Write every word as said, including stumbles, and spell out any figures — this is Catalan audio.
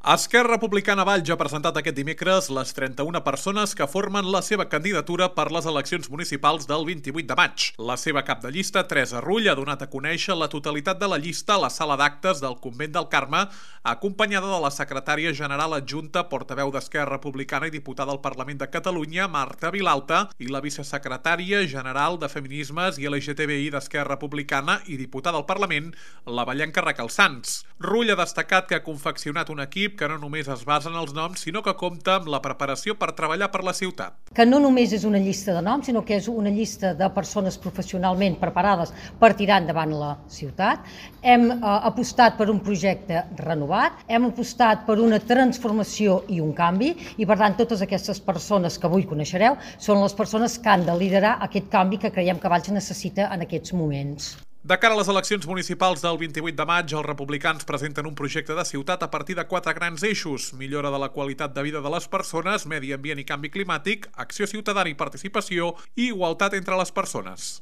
Esquerra Republicana Valls ha presentat aquest dimecres les trenta-una persones que formen la seva candidatura per les eleccions municipals del vint-i-vuit de maig. La seva cap de llista, Teresa Rull, ha donat a conèixer la totalitat de la llista a la sala d'actes del Convent del Carme, acompanyada de la secretària general adjunta, portaveu d'Esquerra Republicana i diputada al Parlament de Catalunya, Marta Vilalta, i la vicesecretària general de Feminismes i L G T B I d'Esquerra Republicana i diputada al Parlament, la vallenca Raquel Sans. Rull ha destacat que ha confeccionat un equip que no només es basa en els noms, sinó que compta amb la preparació per treballar per la ciutat. Que no només és una llista de noms, sinó que és una llista de persones professionalment preparades per tirar endavant la ciutat. Hem eh, apostat per un projecte renovat, hem apostat per una transformació i un canvi, i per tant totes aquestes persones que avui coneixereu són les persones que han de liderar aquest canvi que creiem que Valls necessita en aquests moments. De cara a les eleccions municipals del vint-i-vuit de maig, els republicans presenten un projecte de ciutat a partir de quatre grans eixos: millora de la qualitat de vida de les persones, medi ambient i canvi climàtic, acció ciutadana i participació i igualtat entre les persones.